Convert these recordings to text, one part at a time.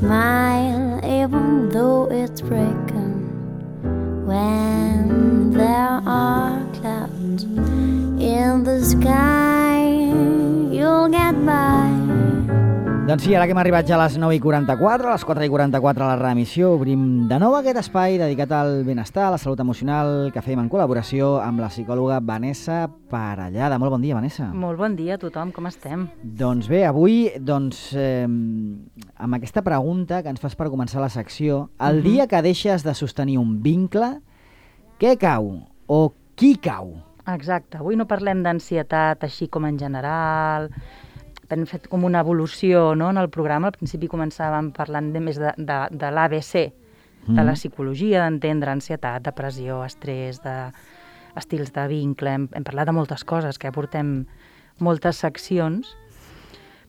smile even though it's breaking. When there are clouds in the sky, you'll get by. Doncs sí, ara que hem arribat ja a les 9:44, a les 4:44 a la reemissió, obrim de nou aquest espai dedicat al benestar, a la salut emocional, que fem en col·laboració amb la psicòloga Vanessa Parellada. Molt bon dia, Vanessa. Molt bon dia a tothom, com estem? Doncs bé, avui, amb aquesta pregunta que ens fas per començar la secció, el dia que deixes de sostenir un vincle, què cau o qui cau? Exacte, avui no parlem d'ansietat així com en general. Hem fet com una evolució, no?, en el programa. Al principi començàvem parlant més de l'ABC, de la psicologia, d'entendre ansietat, depressió, estrès, d'estils de vincle. Hem parlat de moltes coses, que portem moltes seccions,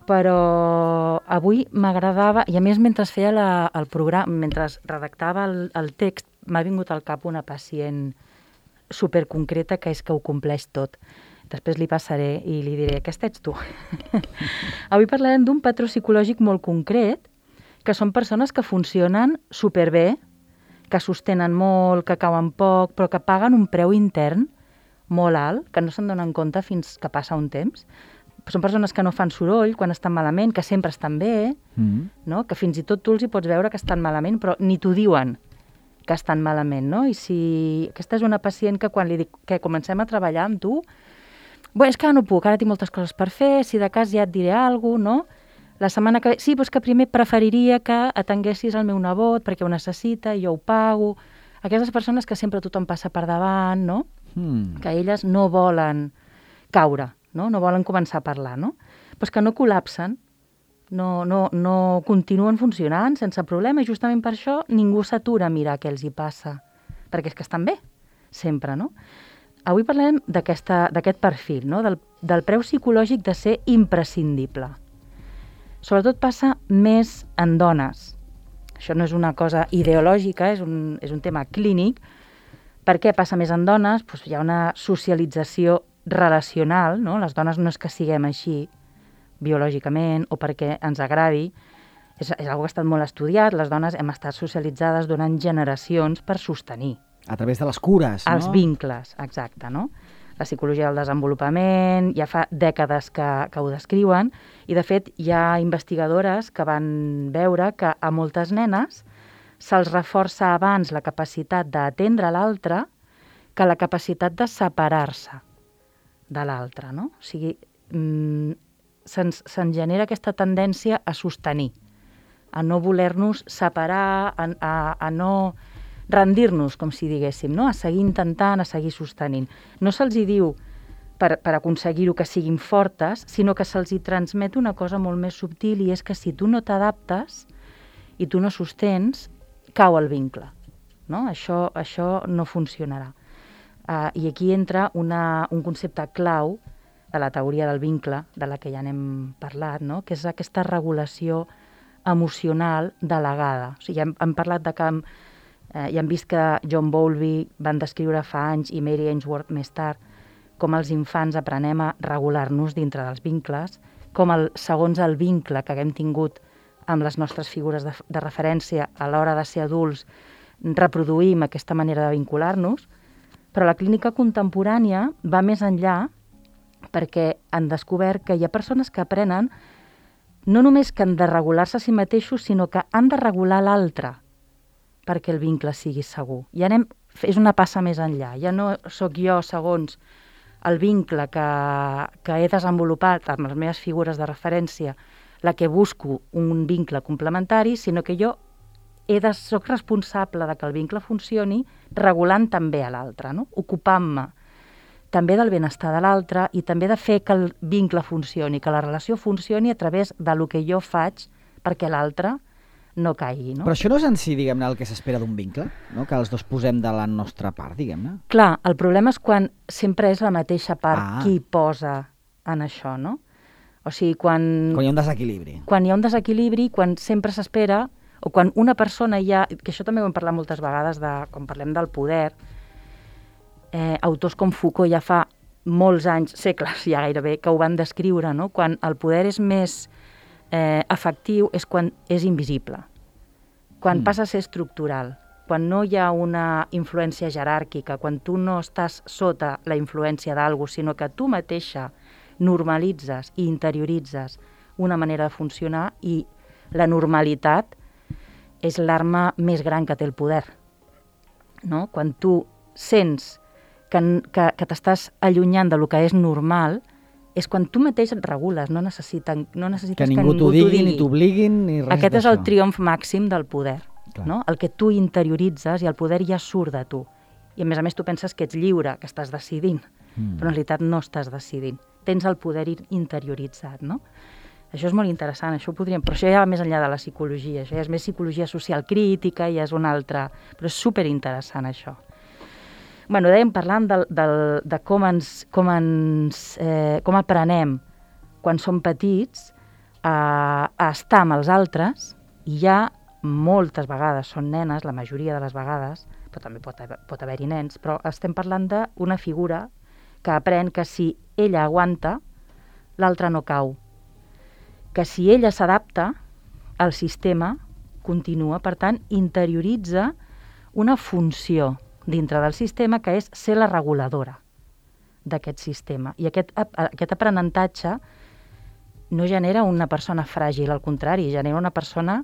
però avui m'agradava, i a més mentre feia el programa, mentre redactava el text, m'ha vingut al cap una pacient superconcreta que és que ho compleix tot. Després li passaré i li diré, aquesta ets tu. Avui parlarem d'un patró psicològic molt concret, que són persones que funcionen superbé, que sostenen molt, que cauen poc, però que paguen un preu intern molt alt, que no se'n donen compte fins que passa un temps. Són persones que no fan soroll quan estan malament, que sempre estan bé, no? Que fins i tot tu els hi pots veure que estan malament, però ni t'ho diuen que estan malament, no? I si aquesta és una pacient que quan li dic que comencem a treballar amb tu, bé, és que no puc, ara tinc moltes coses per fer, si de cas ja et diré alguna cosa, no? La setmana que ve, sí, però és que primer preferiria que atenguessis el meu nebot perquè ho necessita i jo ho pago. Aquestes persones que sempre tothom passa per davant, no? Que elles no volen caure, no? No volen començar a parlar, no? Però és que no col·lapsen, no continuen funcionant sense problema i justament per això ningú s'atura a mirar què els hi passa, perquè és que estan bé, sempre, no? Avui parlem d'aquest perfil, no? Del preu psicològic de ser imprescindible. Sobretot passa més en dones. Això no és una cosa ideològica, és un tema clínic. Per què passa més en dones? Doncs hi ha una socialització relacional, no? Les dones no és que siguem així biològicament o perquè ens agradi. És una cosa que ha estat molt estudiat. Les dones hem estat socialitzades durant generacions per sostenir. A través de les cures, no? Els vincles, exacte, no? La psicologia del desenvolupament, ja fa dècades que ho descriuen, i de fet hi ha investigadores que van veure que a moltes nenes se'ls reforça abans la capacitat d'atendre l'altre que la capacitat de separar-se de l'altre, no? O sigui, se'n genera aquesta tendència a sostenir, a no voler-nos separar, a no rendir-nos, com si diguéssim, no? A seguir intentant, a seguir sostenint. No se'ls hi diu per aconseguir-ho que siguin fortes, sinó que se'ls hi transmet una cosa molt més subtil, i és que si tu no t'adaptes i tu no sostens, cau el vincle, no? Això no funcionarà. I aquí entra un concepte clau de la teoria del vincle, de la que ja n'hem parlat, no? Que és aquesta regulació emocional delegada. O sigui, hem parlat de que ja hem vist que John Bowlby van descriure fa anys i Mary Ainsworth més tard com els infants aprenem a regular-nos dintre dels vincles, com segons el vincle que haguem tingut amb les nostres figures de referència a l'hora de ser adults reproduïm aquesta manera de vincular-nos, però la clínica contemporània va més enllà perquè han descobert que hi ha persones que aprenen no només que han de regular-se a si mateixos, sinó que han de regular l'altre perquè el vincle sigui segur. És una passa més enllà. Ja no sóc jo, segons el vincle que he desenvolupat amb les meves figures de referència, la que busco un vincle complementari, sinó que jo sóc responsable de que el vincle funcioni regulant també a l'altre, no? Ocupant-me també del benestar de l'altre i també de fer que el vincle funcioni, que la relació funcioni a través del que jo faig perquè l'altre no caigui, no? Però això no és en si, diguem-ne, el que s'espera d'un vincle, no? Que els dos posem de la nostra part, diguem-ne. Clar, el problema és quan sempre és la mateixa part qui posa en això, no? O sigui, quan hi ha un desequilibri. Quan hi ha un desequilibri, quan sempre s'espera, o quan una persona que això també ho hem parlat moltes vegades, quan parlem del poder, autors com Foucault ja fa molts anys, segles ja gairebé, que ho van descriure, no? Quan el poder és més efectiu és quan és invisible. quan passa a ser estructural, quan no hi ha una influència jeràrquica, quan tu no estàs sota la influència d'algú, sinó que tu mateixa normalitzes i interioritzes una manera de funcionar, i la normalitat és l'arma més gran que té el poder. No? Quan tu sents que t'estàs allunyant del que és normal, és quan tu mateix et regules, no necessites que ningú t'ho digui, ni t'obliguin, ni res d'això. Aquest és el triomf màxim del poder, no? El que tu interioritzes i el poder ja surt de tu. I a més tu penses que ets lliure, que estàs decidint, però en realitat no estàs decidint. Tens el poder interioritzat, no? Això és molt interessant, però això ja va més enllà de la psicologia, això ja és més psicologia social crítica, ja és una altra... Però és superinteressant, això. Bueno, dèiem parlant de com aprenem quan som petits a estar amb els altres, i ja moltes vegades són nenes, la majoria de les vegades, però també pot haver-hi nens, però estem parlant d'una figura que aprèn que si ella aguanta, l'altre no cau. Que si ella s'adapta, el sistema continua, per tant, interioritza una funció dintre del sistema que és ser la reguladora d'aquest sistema. I aquest aprenentatge no genera una persona fràgil, al contrari, genera una persona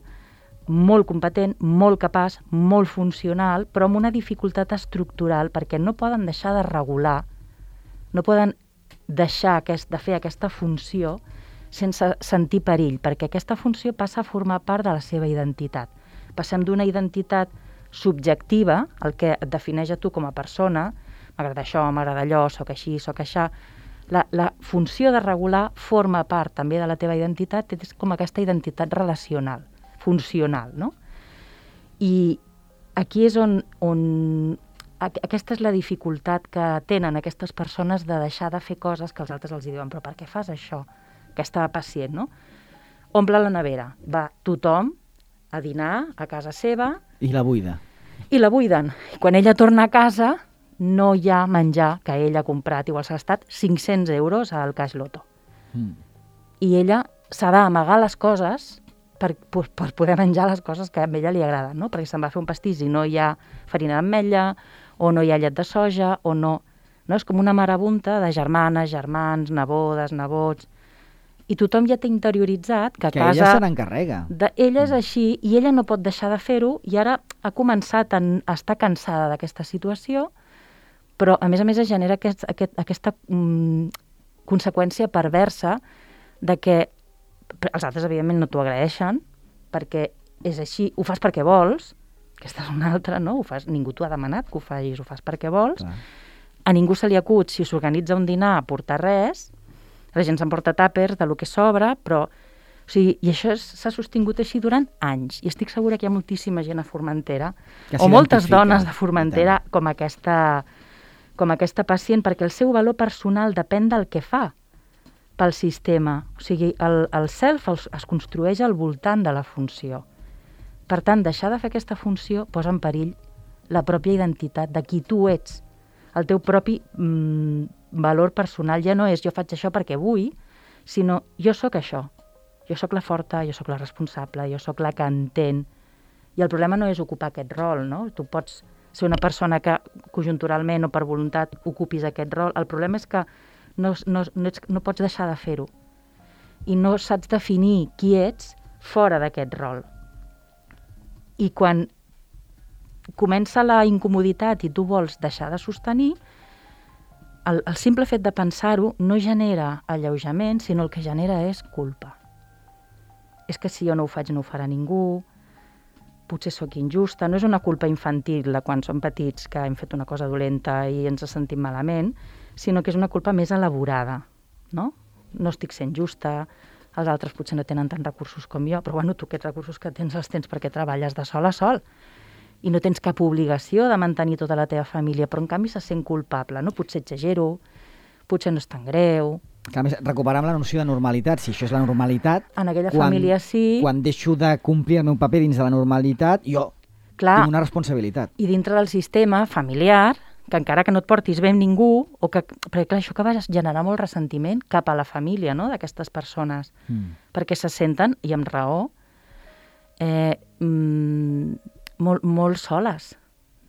molt competent, molt capaç, molt funcional, però amb una dificultat estructural, perquè no poden deixar de regular, no poden deixar de fer aquesta funció sense sentir perill, perquè aquesta funció passa a formar part de la seva identitat. Passem d'una identitat subjectiva, el que et defineix a tu com a persona, m'agrada això, m'agrada allò, soc així, soc això. La funció de regular forma part també de la teva identitat, és com aquesta identitat relacional, funcional, no? I aquí és on aquesta és la dificultat que tenen aquestes persones de deixar de fer coses que els altres els diuen, però per què fas això? Aquesta pacient, no? Omple la nevera, va tothom a dinar a casa seva... I la buida. I la buiden. Quan ella torna a casa, no hi ha menjar que ella ha comprat. Igual s'ha gastat 500 euros al Cash Loto. I ella s'ha d'amagar les coses per poder menjar les coses que a ella li agraden, no? Perquè se'n va fer un pastís i no hi ha farina d'ametlla, o no hi ha llet de soja, o no... És com una marabunta de germanes, germans, nebodes, nebots... I tothom ja té interioritzat que a casa... Que ella se n'encarrega. Ella és així, i ella no pot deixar de fer-ho, i ara ha començat a estar cansada d'aquesta situació, però a més es genera aquesta conseqüència perversa de que els altres, evidentment, no t'ho agraeixen, perquè és així, ho fas perquè vols, aquesta és una altra, no? Ningú t'ho ha demanat que ho facis, ho fas perquè vols. Clar. A ningú se li acut, si s'organitza un dinar, a portar res. La gent s'emporta tàpers de lo que sobra, però... O sigui, i això s'ha sostingut així durant anys. I estic segura que hi ha moltíssima gent a Formentera, o moltes dones de Formentera, com aquesta pacient, perquè el seu valor personal depèn del que fa pel sistema. O sigui, el self es construeix al voltant de la funció. Per tant, deixar de fer aquesta funció posa en perill la pròpia identitat de qui tu ets. El teu propi valor personal ja no és jo faig això perquè vull, sinó jo sóc això. Jo sóc la forta, jo sóc la responsable, jo sóc la que entén. I el problema no és ocupar aquest rol, no? Tu pots ser una persona que conjunturalment o per voluntat ocupis aquest rol. El problema és que no pots deixar de fer-ho. I no saps definir qui ets fora d'aquest rol. I quan comença la incomoditat i tu vols deixar de sostenir, el simple fet de pensar-ho no genera alleujament, sinó el que genera és culpa. És que si jo no ho faig no ho farà ningú, potser sóc injusta. No és una culpa infantil de quan som petits que hem fet una cosa dolenta i ens sentim malament, sinó que és una culpa més elaborada, no? No estic sent justa, els altres potser no tenen tants recursos com jo, però bueno, tu aquests recursos que tens els tens perquè treballes de sol a sol i no tens cap obligació de mantenir tota la teva família, però en canvi se sent culpable, no? Potser exagero, potser no és tan greu. A més, recuperar la noció de normalitat, si això és la normalitat... En aquella família sí... Quan deixo de complir el meu paper dins de la normalitat, jo tinc una responsabilitat. I dintre del sistema familiar, que encara que no et portis bé amb ningú, perquè clar, això que va generar molt ressentiment cap a la família, no?, d'aquestes persones, perquè se senten, i amb raó, molt soles,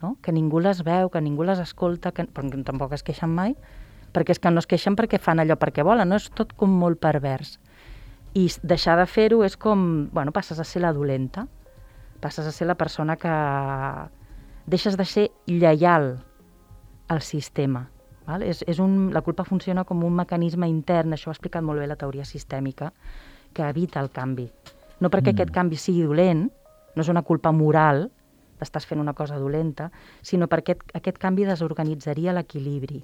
no? Que ningú les veu, que ningú les escolta, perquè tampoc es queixen mai, perquè és que no es queixen perquè fan allò perquè volen, no? És tot com molt pervers. I deixar de fer-ho és com, bueno, passes a ser la dolenta, passes a ser la persona que deixes de ser lleial al sistema. Val? La culpa funciona com un mecanisme intern, això ho ha explicat molt bé la teoria sistèmica, que evita el canvi. No perquè aquest canvi sigui dolent, no és una culpa moral, estàs fent una cosa dolenta, sinó perquè aquest canvi desorganitzaria l'equilibri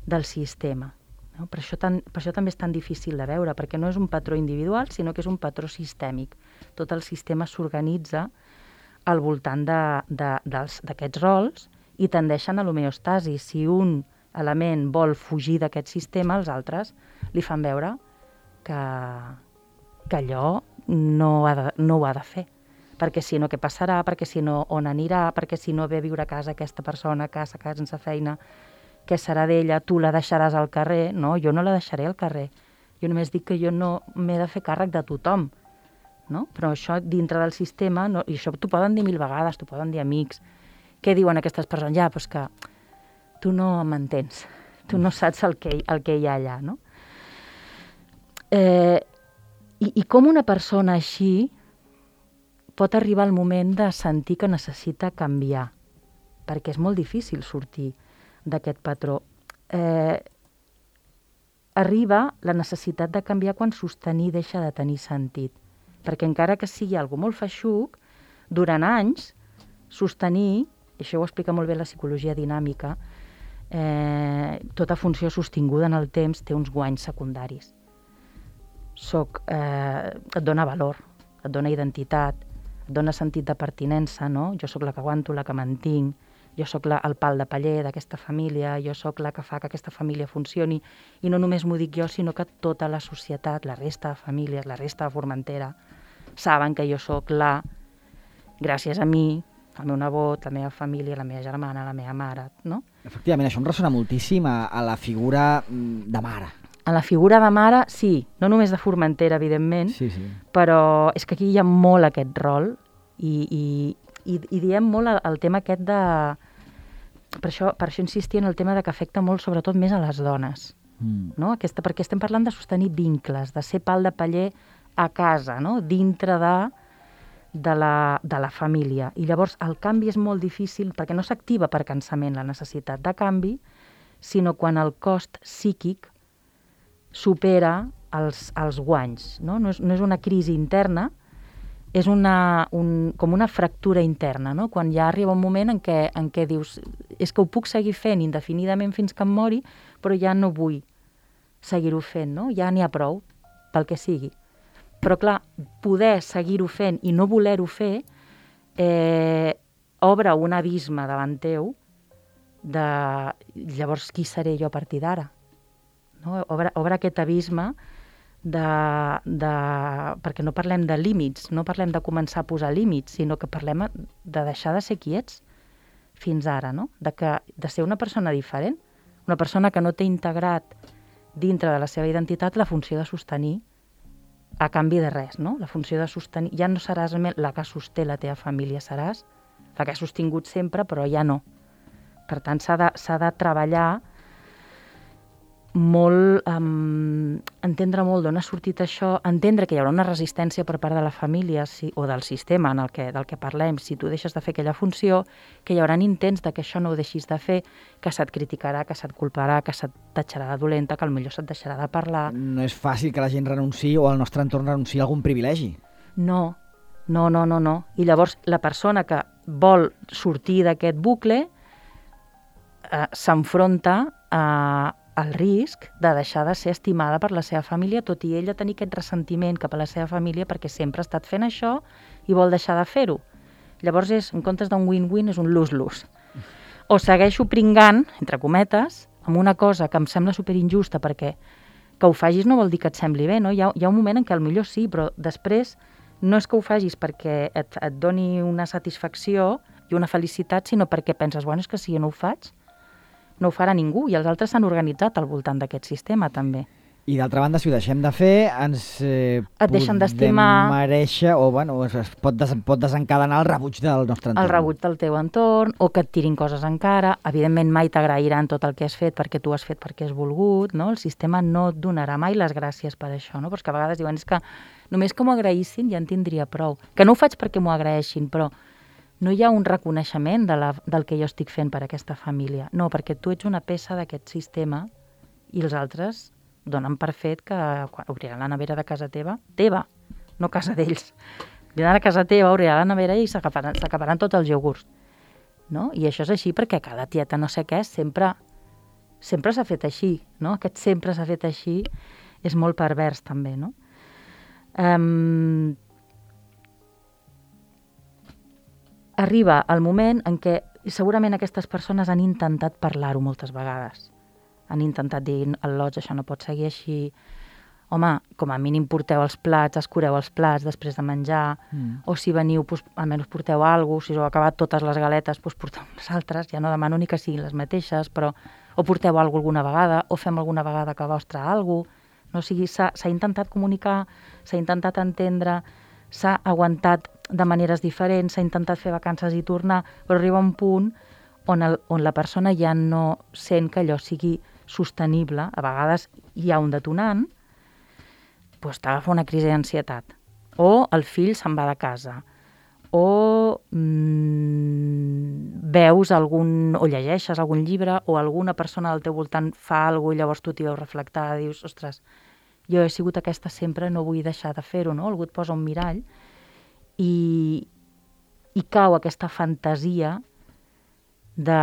del sistema. No? Per això també és tan difícil de veure, perquè no és un patró individual, sinó que és un patró sistèmic. Tot el sistema s'organitza al voltant d'aquests rols i tendeixen a l'homeostasi. Si un element vol fugir d'aquest sistema, els altres li fan veure que allò no ho ha de fer. Perquè si no, què passarà? Perquè si no, on anirà? Perquè si no ve a viure a casa aquesta persona que s'ha quedat sense feina, què serà d'ella? Tu la deixaràs al carrer? No, jo no la deixaré al carrer. Jo només dic que jo no m'he de fer càrrec de tothom. No? Però això dintre del sistema, no, i això t'ho poden dir 1000 vegades, t'ho poden dir amics. Què diuen aquestes persones? Ja, doncs que tu no m'entens, tu no saps el que hi ha allà. No? I com una persona així pot arribar el moment de sentir que necessita canviar, perquè és molt difícil sortir d'aquest patró. Arriba la necessitat de canviar quan sostenir deixa de tenir sentit, perquè encara que sigui algo molt feixuc, durant anys, sostenir, i això ho explica molt bé la psicologia dinàmica, tota funció sostinguda en el temps té uns guanys secundaris. Et dona valor, et dona identitat, et dona sentit de pertinença, no? Jo sóc la que aguanto, la que mantinc, jo sóc el pal de paller d'aquesta família, jo sóc la que fa que aquesta família funcioni, i no només m'ho dic jo, sinó que tota la societat, la resta de famílies, la resta de Formentera, saben que jo sóc gràcies a mi, el meu nebot, la meva família, la meva germana, la meva mare, no? Efectivament, això em ressona moltíssim a la figura de mare. A la figura de mare, sí, no només de Formentera, evidentment, sí. Però és que aquí hi ha molt aquest rol i diem molt el tema aquest de... Per això insistia en el tema de que afecta molt, sobretot, més a les dones. No? Perquè estem parlant de sostenir vincles, de ser pal de paller a casa, no? Dintre de la família. I llavors el canvi és molt difícil perquè no s'activa per cansament la necessitat de canvi, sinó quan el cost psíquic supera els guanys. No? No és una crisi interna, és com una fractura interna, no? Quan ja arriba un moment en què dius és que ho puc seguir fent indefinidament fins que em mori, però ja no vull seguir-ho fent, no? Ja n'hi ha prou, pel que sigui. Però clar, poder seguir-ho fent i no voler-ho fer obre un abisme davant teu de llavors qui seré jo a partir d'ara? No? Obre aquest abisme perquè no parlem de límits, no parlem de començar a posar límits, sinó que parlem de deixar de ser quiets fins ara, no? De ser una persona diferent, una persona que no té integrat dintre de la seva identitat la funció de sostenir a canvi de res, no? La funció de sostenir, ja no seràs la que sosté la teva família, seràs la que ha sostingut sempre, però ja no. Per tant, s'ha de treballar molt, entendre molt d'on ha sortit això, entendre que hi haurà una resistència per part de la família o del sistema del que parlem, si tu deixes de fer aquella funció, que hi haurà intents de que això no ho deixis de fer, que se't criticarà, que se't culparà, que se't tatxarà de dolenta, que potser se't deixarà de parlar. No és fàcil que la gent renunciï o el nostre entorn renunciï a algun privilegi. No. I llavors la persona que vol sortir d'aquest bucle s'enfronta al risc de deixar de ser estimada per la seva família, tot i ella tenir aquest ressentiment cap a la seva família perquè sempre ha estat fent això i vol deixar de fer-ho. Llavors, en comptes d'un win-win, és un lose-lose. O segueixo pringant, entre cometes, amb una cosa que em sembla superinjusta perquè que ho facis no vol dir que et sembli bé, no? Hi ha un moment en què potser sí, però després no és que ho facis perquè et doni una satisfacció i una felicitat, sinó perquè penses, bueno, és que si jo no ho faig, no ho farà ningú, i els altres s'han organitzat al voltant d'aquest sistema, també. I d'altra banda, si ho deixem de fer, ens Et deixen d'estimar. mereixer, o bueno, es pot desencadenar el rebuig del nostre entorn. El rebuig del teu entorn, o que et tirin coses encara. Evidentment, mai t'agrairan tot el que has fet perquè tu has fet perquè has volgut, no? El sistema no et donarà mai les gràcies per això, no? Però és que a vegades diuen, és que només que m'ho agraïssin ja en tindria prou. Que no ho faig perquè m'ho agraeixin, però no hi ha un reconeixement del que jo estic fent per aquesta família. No, perquè tu ets una peça d'aquest sistema i els altres donen per fet que quan obriran la nevera de casa teva, no casa d'ells. Vindran a casa teva, obriran la nevera i s'acaparan tots els iogurts. No? I això és així perquè cada tieta no sé què sempre s'ha fet així. No? Aquest sempre s'ha fet així és molt pervers també. No? Arriba el moment en què segurament aquestes persones han intentat parlar-ho moltes vegades. Han intentat dir, al Lots, això no pot seguir així. Home, com a mínim porteu els plats, escureu els plats després de menjar, o si veniu, doncs, almenys porteu alguna cosa, si us heu acabat totes les galetes, doncs porteu unes altres, ja no demano ni que siguin les mateixes, però o porteu alguna cosa alguna vegada, o fem alguna vegada que vostre alguna cosa. No? O sigui, s'ha intentat comunicar, s'ha intentat entendre, s'ha aguantat de maneres diferents, s'ha intentat fer vacances i tornar, però arriba un punt on la persona ja no sent que allò sigui sostenible. A vegades hi ha un detonant, doncs t'agafa una crisi d'ansietat, o el fill se'n va de casa, o veus o llegeixes algun llibre, o alguna persona al teu voltant fa alguna cosa i llavors tu t'hi veus reflectada, dius, ostres, jo he sigut aquesta sempre, no vull deixar de fer-ho, no? Algú et posa un mirall i cau aquesta fantasia de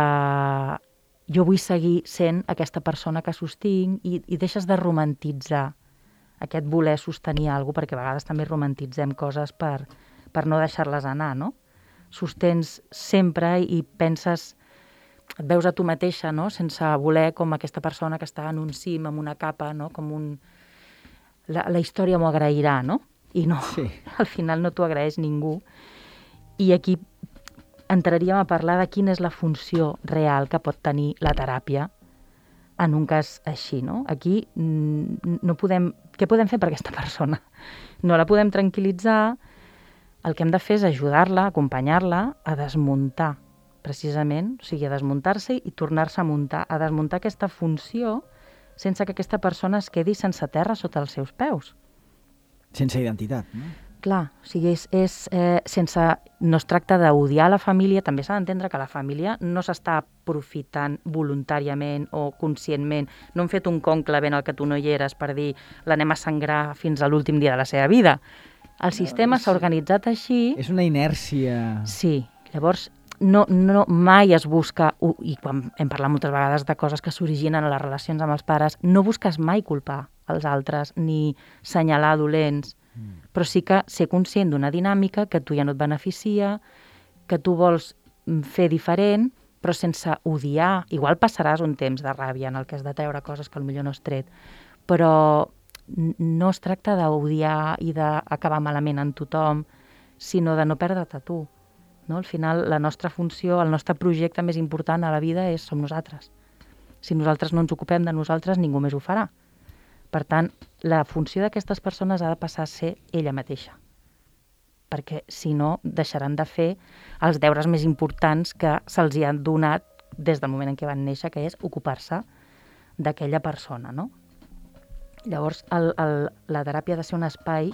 jo vull seguir sent aquesta persona que sostinc i deixes de romantitzar aquest voler sostenir alguna cosa, perquè a vegades també romantitzem coses per no deixar-les anar, no? Sostens sempre i penses, et veus a tu mateixa, no? Sense voler, com aquesta persona que està en un cim, amb una capa, no? Com la història m'ho agrairà, no? I no, sí. Al final no t'ho agraeix ningú. I aquí entraríem a parlar de quina és la funció real que pot tenir la teràpia en un cas així, no? Aquí no podem... Què podem fer per aquesta persona? No la podem tranquil·litzar. El que hem de fer és ajudar-la, acompanyar-la a desmuntar, precisament, o sigui, a desmuntar-se i tornar-se a muntar, a desmuntar aquesta funció sense que aquesta persona es quedi sense terra sota els seus peus. Sense identitat, no? Clar, o sigui, no es tracta d'odiar la família, també s'ha d'entendre que la família no s'està aprofitant voluntàriament o conscientment. No han fet un conclave en el que tu no hi eres per dir l'anem a sangrar fins a l'últim dia de la seva vida. El sistema s'ha organitzat així... És una inèrcia... Sí, llavors no mai es busca, i quan hem parlat moltes vegades de coses que s'originen a les relacions amb els pares, no busques mai culpar els altres ni senyalar dolents, però sí que ser conscient d'una dinàmica que tu ja no et beneficia, que tu vols fer diferent, però sense odiar. Igual passaràs un temps de ràbia en el que has de treure coses que potser no has tret, però no es tracta d'odiar i d'acabar malament en tothom, sinó de no perdre't a tu. No? Al final, la nostra funció, el nostre projecte més important a la vida som nosaltres. Si nosaltres no ens ocupem de nosaltres, ningú més ho farà. Per tant, la funció d'aquestes persones ha de passar a ser ella mateixa, perquè si no deixaran de fer els deures més importants que se'ls hi han donat des del moment en què van néixer, que és ocupar-se d'aquella persona, no? Llavors, la teràpia ha de ser un espai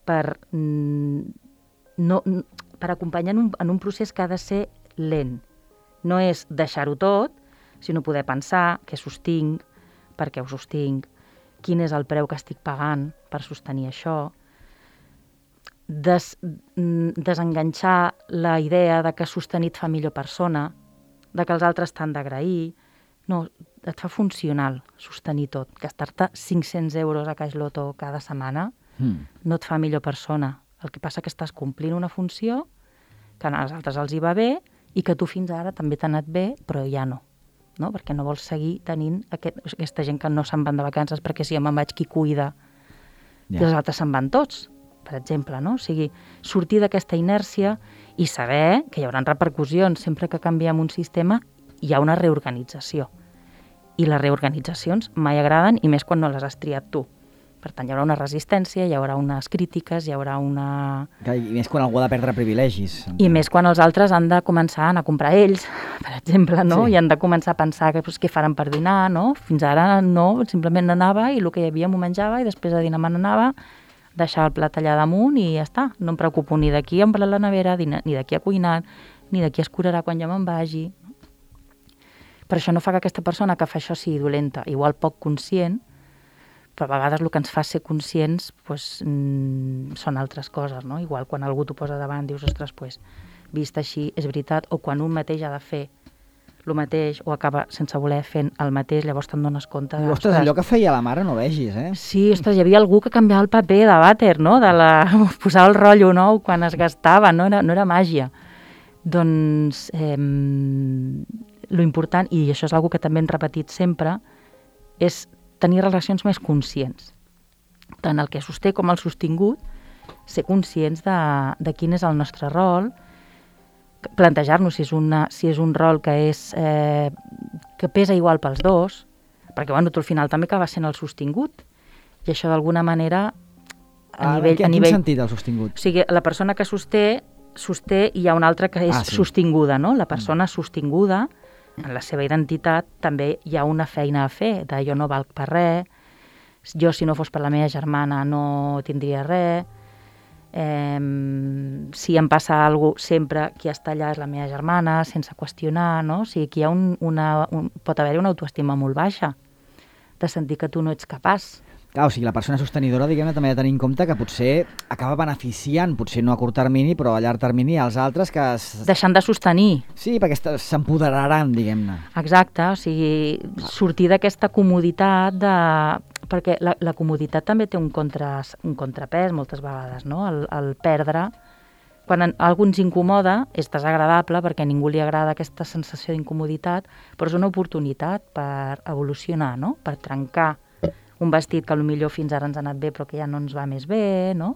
per acompanyar en un procés que ha de ser lent. No és deixar-ho tot, sinó poder pensar què sostinc, per què ho sostinc, quin és el preu que estic pagant per sostenir això, desenganxar la idea de que sostenir et fa millor persona, de que els altres t'han d'agrair. No, et fa funcional sostenir tot. Gastar-te 500 euros a Caix Loto cada setmana no et fa millor persona. El que passa que estàs complint una funció que als altres els hi va bé i que tu fins ara també t'ha anat bé, però ja no. No? Perquè no vols seguir tenint aquesta gent que no se'n van de vacances perquè si jo me'n vaig qui cuida i els altres se'n van tots, per exemple, no? O sigui, sortir d'aquesta inèrcia i saber que hi haurà repercussions. Sempre que canviem un sistema hi ha una reorganització I les reorganitzacions mai agraden, i més quan no les has triat tu. Per tant, hi haurà una resistència, hi haurà unes crítiques, hi haurà una... I més quan algú ha de perdre privilegis. I més quan els altres han de començar a anar a comprar ells, per exemple, no? Sí. I han de començar a pensar que, què faran per dinar, no? Fins ara no, simplement anava i el que hi havia m'ho menjava i després de dinar me n'anava, deixava el plat allà damunt i ja està. No em preocupo ni de qui ha omplit la nevera, ni de qui ha cuinat, ni de qui es curarà quan jo me'n vagi. Per això no fa que aquesta persona que fa això sigui dolenta, igual poc conscient, però a vegades el que ens fa ser conscients són altres coses, no? Igual quan algú t'ho posa davant dius, ostres, vist així és veritat, o quan un mateix ha de fer el mateix o acaba sense voler fent el mateix, llavors te'n dones compte de... Ostres, allò que feia la mare no vegis, eh? Sí, ostres, hi havia algú que canviava el paper de vàter, no? Posava el rotllo nou quan es gastava, no era màgia. Doncs lo important, i això és una que també hem repetit sempre, és tenir relacions més conscients. Tant el que sosté com el sostingut, ser conscients de quin és el nostre rol, plantejar-nos si és un rol que pesa igual pels dos, perquè tu al final també acaba sent el sostingut, i això d'alguna manera En quin sentit el sostingut? O sigui, la persona que sosté i hi ha una altra que és sostinguda, no? La persona sostinguda, en la seva identitat, també hi ha una feina a fer, de jo no valc per res, jo si no fos per la meva germana no tindria res, si em passa alguna cosa sempre qui està allà és la meva germana, sense qüestionar, no? O sigui, aquí hi ha pot haver-hi una autoestima molt baixa, de sentir que tu no ets capaç. Clar, o sigui, la persona sostenidora, diguem-ne, també ha de tenir en compte que potser acaba beneficiant, potser no a curt termini, però a llarg termini, als altres que... Deixant de sostenir. Sí, perquè s'empoderaran, diguem-ne. Exacte, o sigui, sortir d'aquesta comoditat perquè la comoditat també té un contrapès moltes vegades, no? El perdre, quan algú ens incomoda, és desagradable perquè a ningú li agrada aquesta sensació d'incomoditat, però és una oportunitat per evolucionar, no? Per trencar un vestit que potser fins ara ens ha anat bé però que ja no ens va més bé, no?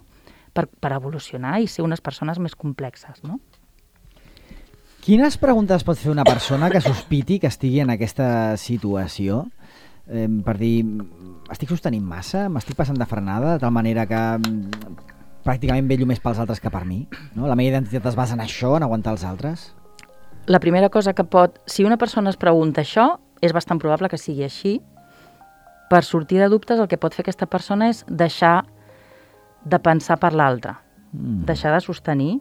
Per evolucionar i ser unes persones més complexes, no? Quines preguntes pot fer una persona que sospiti que estigui en aquesta situació? Per dir, estic sostenint massa? M'estic passant de frenada de tal manera que pràcticament vello més pels altres que per mi? No? La meva identitat es basa en això, en aguantar els altres? La primera cosa que si una persona es pregunta això, és bastant probable que sigui així. Per sortir de dubtes, el que pot fer aquesta persona és deixar de pensar per l'altre, deixar de sostenir,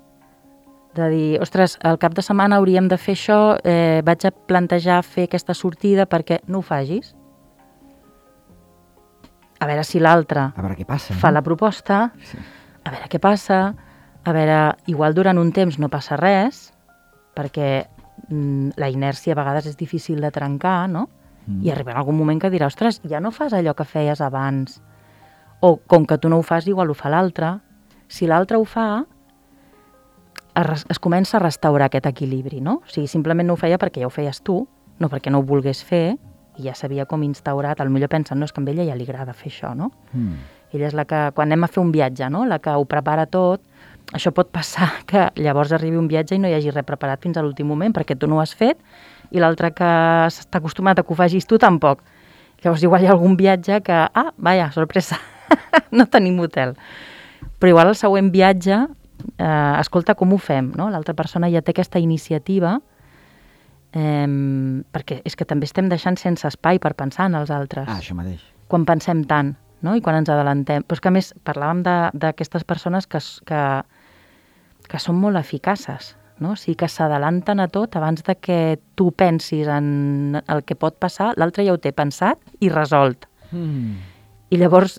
de dir, ostres, al cap de setmana hauríem de fer això, vaig a plantejar fer aquesta sortida perquè no ho facis. A veure si l'altre fa la proposta, a veure què passa, a veure, igual durant un temps no passa res, perquè la inèrcia a vegades és difícil de trencar, no? I arribarà algun moment que dirà, ostres, ja no fas allò que feies abans, o com que tu no ho fas, igual ho fa l'altre. Si l'altre ho fa, es comença a restaurar aquest equilibri, no? O sigui, simplement no ho feia perquè ja ho feies tu, no perquè no ho volgués fer, i ja sabia com instaurat, potser pensen, no, és que a ella ja li agrada fer això, no? Ella és la que, quan anem a fer un viatge, no? La que ho prepara tot. Això pot passar que llavors arribi un viatge i no hi hagi res preparat fins a l'últim moment, perquè tu no ho has fet, i l'altre que està acostumat a que ho facis tu tampoc. Llavors igual hi ha algun viatge que, vaja, sorpresa, no tenim hotel. Però igual el següent viatge, escolta com ho fem, no? L'altra persona ja té aquesta iniciativa, perquè és que també estem deixant sense espai per pensar en els altres. Això mateix. Quan pensem tant, no? I quan ens adelantem. Però és que a més parlàvem d'aquestes persones que són molt eficaces, no? O sigui, que s'adalanten a tot abans de que tu pensis en el que pot passar, l'altre ja ho té pensat i resolt. I llavors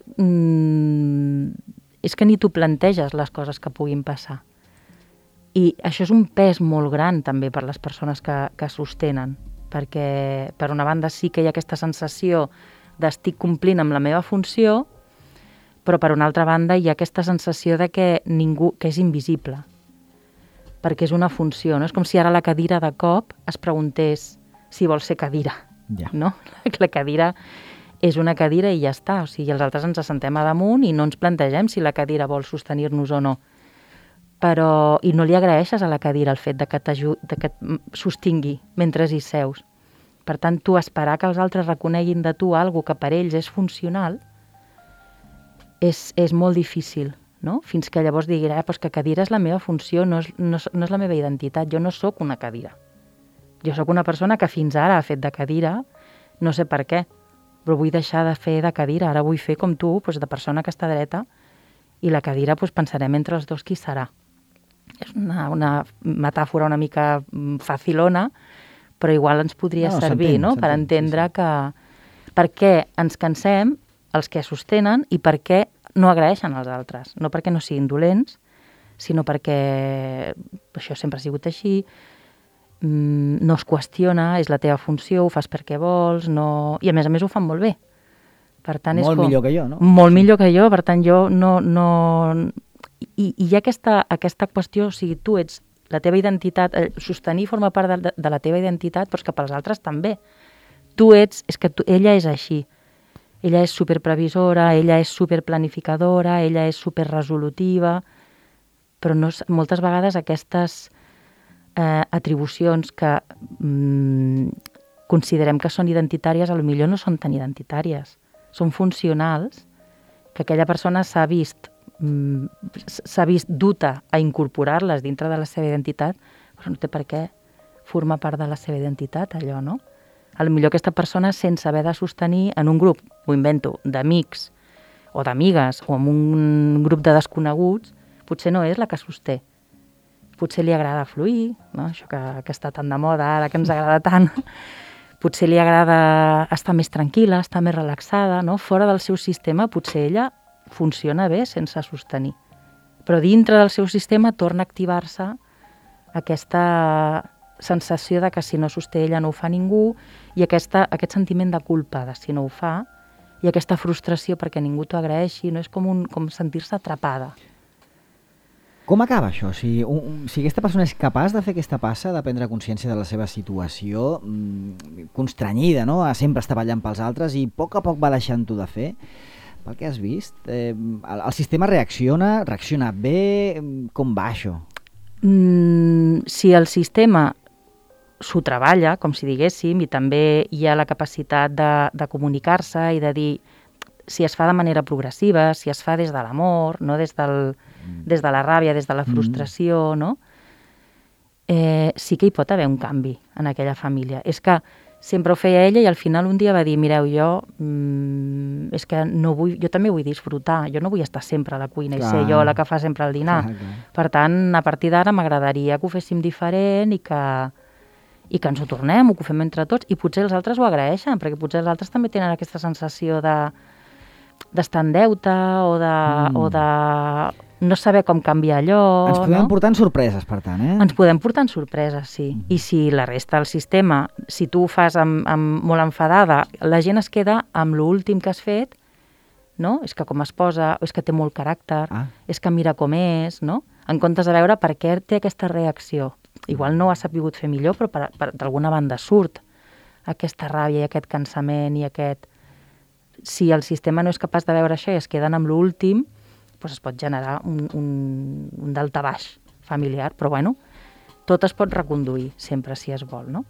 és que ni tu planteges les coses que puguin passar. I això és un pes molt gran també per les persones que sostenen, perquè per una banda sí que hi ha aquesta sensació d'estic complint amb la meva funció, però per una altra banda hi ha aquesta sensació de que és invisible, perquè és una funció, no? És com si ara la cadira de cop es preguntés si vol ser cadira, no? La cadira és una cadira i ja està, o sigui, els altres ens assentem a damunt i no ens plantegem si la cadira vol sostenir-nos o no. I no li agraeixes a la cadira el fet de que et sostingui mentre hi seus. Per tant, tu esperar que els altres reconeguin de tu alguna que per ells és funcional és molt difícil, no? Fins que llavors diguin, doncs que cadira és la meva funció, no és la meva identitat. Jo no sóc una cadira. Jo sóc una persona que fins ara ha fet de cadira, no sé per què, però vull deixar de fer de cadira. Ara vull fer com tu, doncs, de persona que està dreta, i la cadira doncs, pensarem entre els dos qui serà. És una metàfora una mica facilona, però igual ens podria servir, no? Per entendre que per què ens cansem els que sostenen i per què no agraeixen als altres. No perquè no siguin dolents, sinó perquè això sempre ha sigut així, no es qüestiona, és la teva funció, ho fas perquè vols, no... i a més ho fan molt bé. Per tant, molt millor que jo, no? Molt millor que jo, per tant, jo no... I hi ha aquesta qüestió, o sigui, tu ets la teva identitat, sostenir forma part de la teva identitat, però és que pels altres també. Ella és així. Ella és superprevisora, ella és superplanificadora, ella és superresolutiva, però moltes vegades aquestes atribucions que considerem que són identitàries, potser no són tan identitàries. Són funcionals, que aquella persona s'ha vist duta a incorporar-les dintre de la seva identitat, però no té per què formar part de la seva identitat, allò, no? Potser aquesta persona, sense haver de sostenir en un grup, ho invento, d'amics o d'amigues o en un grup de desconeguts, potser no és la que sosté. Potser li agrada fluir, no? Això que està tan de moda ara, que ens agrada tant. Potser li agrada estar més tranquil·la, estar més relaxada, no? Fora del seu sistema, potser ella funciona bé sense sostenir. Però dintre del seu sistema torna a activar-se aquesta sensació de que si no sosté ella no ho fa ningú, i aquest sentiment de culpa de si no ho fa, i aquesta frustració perquè ningú t'ho agraeixi, no? És com sentir-se atrapada. Com acaba això? Si aquesta persona és capaç de fer aquesta passa, de prendre consciència de la seva situació, constranyida, no? A sempre estar ballant pels altres, i a poc va deixant-ho de fer, pel que has vist, el sistema reacciona bé? Com va això? Si el sistema s'ho treballa, com si diguéssim, i també hi ha la capacitat de comunicar-se i de dir si es fa de manera progressiva, si es fa des de l'amor, no des de la ràbia, des de la frustració, no? Sí que hi pot haver un canvi en aquella família. És que sempre ho feia ella i al final un dia va dir, mireu, és que jo també vull disfrutar, jo no vull estar sempre a la cuina i ser jo la que fa sempre el dinar. Per tant, a partir d'ara m'agradaria que ho féssim diferent i que ens ho tornem, o que ho fem entre tots, i potser els altres ho agraeixen, perquè potser els altres també tenen aquesta sensació d'estar en deute o de no saber com canviar allò. Ens podem portar en sorpreses, per tant, eh? Ens podem portar en sorpreses, sí. I si la resta del sistema, si tu ho fas molt enfadada, la gent es queda amb l'últim que has fet, no? És que com es posa, és que té molt caràcter, és que mira com és, no? En comptes de veure per què té aquesta reacció. Igual no ho ha sapigut fer millor, però d'alguna banda surt aquesta ràbia i aquest cansament i aquest... Si el sistema no és capaç de veure això i es queden amb l'últim, doncs es pot generar un daltabaix familiar, però bueno, tot es pot reconduir sempre si es vol, no?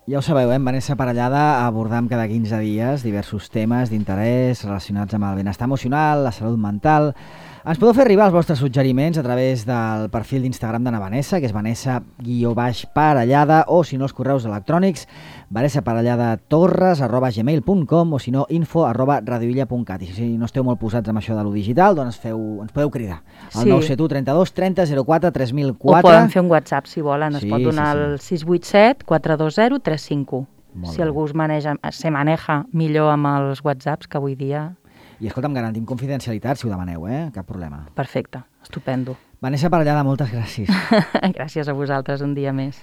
Ja ho sabeu, amb Vanessa Parellada abordam cada 15 dies diversos temes d'interès relacionats amb el benestar emocional, la salut mental. Ens podeu fer arribar els vostres suggeriments a través del perfil d'Instagram de na Vanessa, que és Vanessa_Parellada, o si no, els correus electrònics vanessaparelladatorres@gmail.com, o si no, info@radioilla.cat. I si no esteu molt posats amb això de lo digital, doncs ens podeu cridar al 971 32 30 04 3004. O poden fer un WhatsApp, si volen. Es pot donar el 687 420 351. Si algú se maneja millor amb els WhatsApps, que avui dia... I escolta'm, garantim confidencialitat si ho demaneu, cap problema. Perfecte, estupendo. Vanessa Parellada, moltes gràcies. Gràcies a vosaltres un dia més.